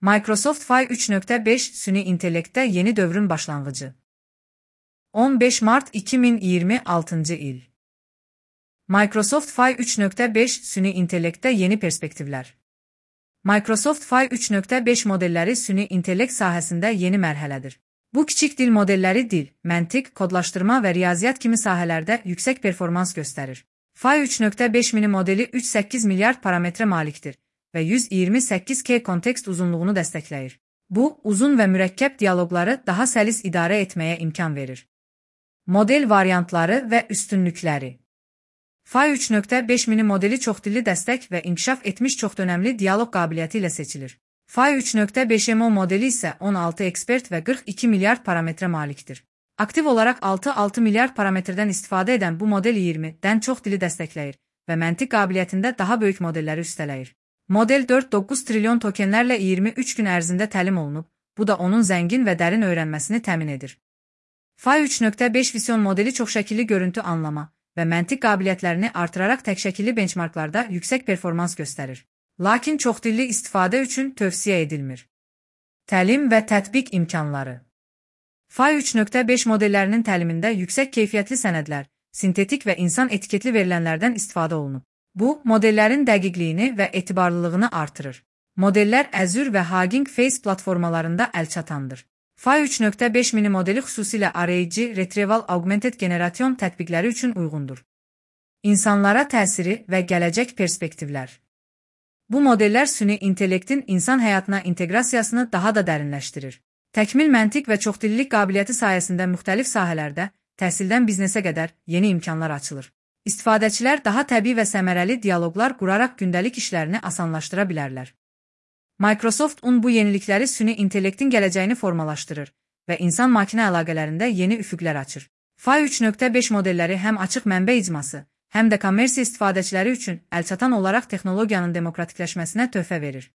Microsoft Phi 3.5 süni intellekt'te yeni dövrün başlangıcı. 15 Mart 2026 il. Microsoft Phi 3.5 süni intellekt'te yeni perspektivler. Microsoft Phi 3.5 modelleri süni intellekt sahəsində yeni mərhələdir. Bu kiçik dil modelləri dil, məntiq, kodlaşdırma və riyaziyyat kimi sahələrdə yüksək performans göstərir. Phi 3.5 mini modeli 3,8 milyard parametrə malikdir və 128K kontekst uzunluğunu dəstəkləyir. Bu, uzun və mürəkkəb dialoqları daha səlis idarə etməyə imkan verir. Model variantları və üstünlükləri. Phi 3.5 mini modeli çoxdilli dəstək və inkişaf etmiş çoxdönəmli dialoq qabiliyyəti ilə seçilir. Phi 3.5 MO modeli isə 16 ekspert və 42 milyard parametrə malikdir. Aktiv olaraq 6 milyard parametrdən istifadə edən bu model 20-dən çox dili dəstəkləyir və məntiq qabiliyyətində daha böyük modelləri üstələyir. Model 4,9 trilyon tokenlərlə 23 gün ərzində təlim olunub, bu da onun zəngin və dərin öyrənməsini təmin edir. Phi 3.5 Vision modeli çoxşəkilli görüntü anlama və məntiq qabiliyyətlərini artıraraq təkşəkilli benchmarklarda yüksək performans göstərir. Lakin çoxdilli istifadə üçün tövsiyə edilmir. Təlim və tətbiq imkanları. Phi 3.5 modellərinin təlimində yüksək keyfiyyətli sənədlər, sintetik və insan etiketli verilənlərdən istifadə olunub. Bu, modellərin dəqiqliyini və etibarlılığını artırır. Modellər Azure və Hugging Face platformalarında əlçatandır. Phi 3.5 mini modeli xüsusilə arayıcı Retrieval Augmented Generation tətbiqləri üçün uyğundur. İnsanlara təsiri və gələcək perspektivlər. Bu modellər süni intellektin insan həyatına inteqrasiyasını daha da dərinləşdirir. Təkmil məntiq və çoxdillilik qabiliyyəti sayəsində müxtəlif sahələrdə, təhsildən biznesə qədər yeni imkanlar açılır. İstifadəçilər daha təbii və səmərəli dialoqlar quraraq gündəlik işlərini asanlaşdıra bilərlər. Microsoft bu yenilikləri süni intellektin gələcəyini formalaşdırır və insan-makina əlaqələrində yeni üfüqlər açır. Phi 3.5 modelləri həm açıq mənbə icması, həm də kommersiya istifadəçiləri üçün əlçatan olaraq texnologiyanın demokratikləşməsinə töhfə verir.